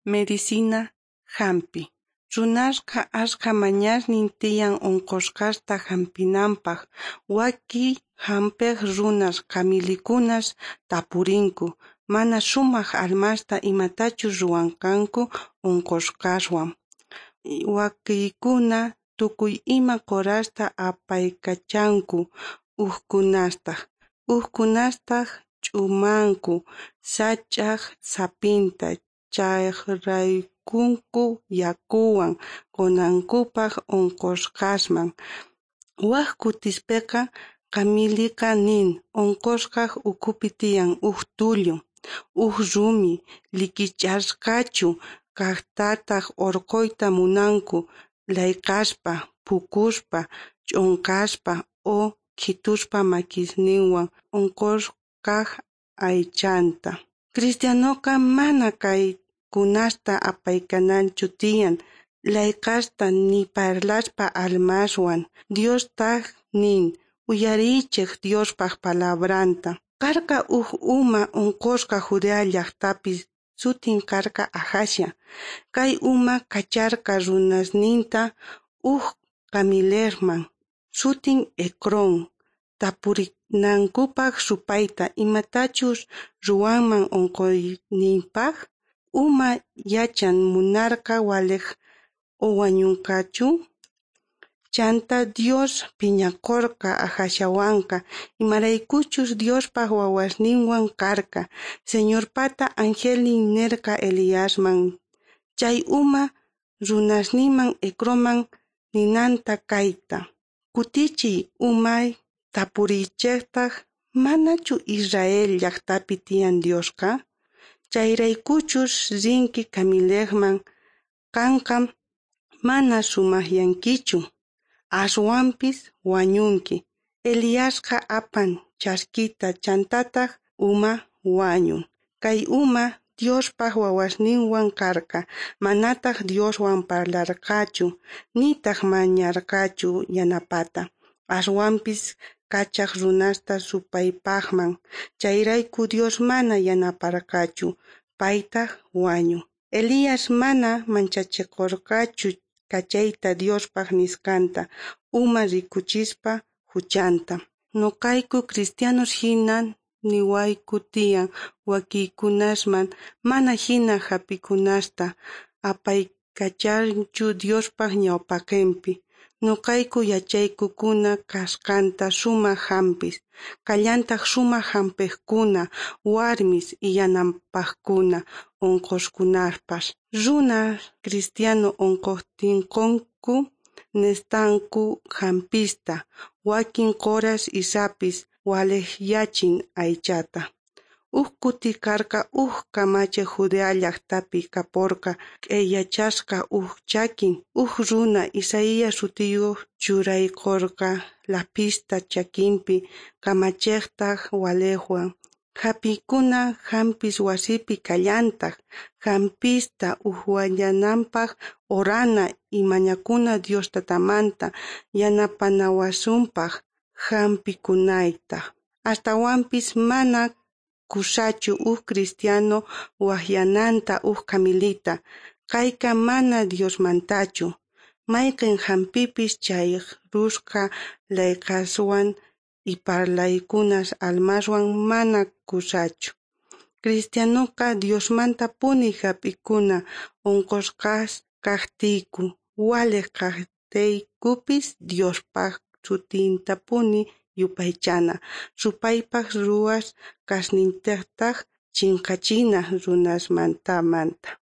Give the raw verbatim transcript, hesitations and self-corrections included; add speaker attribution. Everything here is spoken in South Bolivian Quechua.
Speaker 1: Medicina jampi. Runasqa ashkha mañasnin tiyan onqosqasta jampinanpaj. Wakiy jampej runas qamilikunas tapurinku mana sumaj almasta imatachus ruwanqanku onqosqaswan. Wakiykuna tukuy ima qhorasta apaykachanku, ujkunastaj. Ujkunastaj ch'umanku sach'aj saphinta, chajraykunku yakuwan qonankupaj onqosqasman. Waj kutispeqa qamiliqa nin onqosqaj ukhupi tiyan uj tullu, uj rumi likich'asqachu kajtataj orqhoyta munanku layqaspa, phukuspa, ch'onqaspa o khituspa makisninwan onqosqaj aychanta. Cristianoqa mana kaykunasta apaykananchu tiyan layqasta ni parlaspa almaswan. Diostaj nin uyariychej Diospaj palabranta. Karqa uj uma onqosqa Judea llajtapi, sutin karqa Ajasia. Kay uma kacharqa runasninta uj qamilejman, sutin Ecrón, tapurinankupaj supayta imatachus ruwanman onqoyninpaj. Uma yachan munarqa walej o wañonqachu. Chanta Dios phiñakorqa Ajasiawanqa, imaraykuchus Diospaj wawasninwan karqa. Señorpata angelnin nerqa Eliasman chay uma runasninman Ecronman ninanta kayta: Kutichiy umay tapuriychejtaj, manachu Israel llajtapi tiyan Diosqa? Chayraykuchus rinki qamilejman, qanqa mana sumajyankichu, aswanpis wañunki. Eliasqa apan chaskita chantataj uma wañun. Kay uma Diospaj wawasninwan karqa, manataj Dioswan parlarqachu, nitaj mañarqachu yanapata. Aswanpis kachaj runasta supaypajman. Chayrayku Dios mana yanaparqachu, paytaj wañun. Elías mana manchachikorqachu kachayta Diospaj nisqanta, uma rikuchispa juchanta. Noqayku cristianos jina niwayku tiyan wakiykunasman mana jina jampikunasta apaykachanchu Diospaj ñawpaqenpi. Noqayku yachaykukuna kasqanta sumaj jampis. Kallantaj sumaj jampejkuna, warmis y yanapajkuna onqosqaspas. Runas cristiano onqojtinqonku nestanku jampista, wakin qhoras y sapis walejyachin aychata. Uj kuti karqa uj kamachej Judea llajtapi kaporqa q'eyachasqa uj chakin. Uj runa Isaías sutiyoj churaykorqa lapista chakinpi, kamachejtaj walejwan. Jampikuna jampis wasipi kallantaj. Jampista ujyananpaj orana y mañakuna Dios tatamanta yanapanawasunpaj jampikunayta. Astawanpis mana kusachu uj cristiano wajyananta uj qamilita. Kayqa mana Diosmantachu. Mayqen jampipis chajrusqa layqaswan y parlaykunas almaswan mana kusachu. Cristianoqa Diosmantapuni jap'ikuna onqosqas kajtiyku, walej kajtiykupis Diospaj sutintapuni yupaychana. Supaypaj ruwas kasnintajtaj chinkachina runasmantamanta.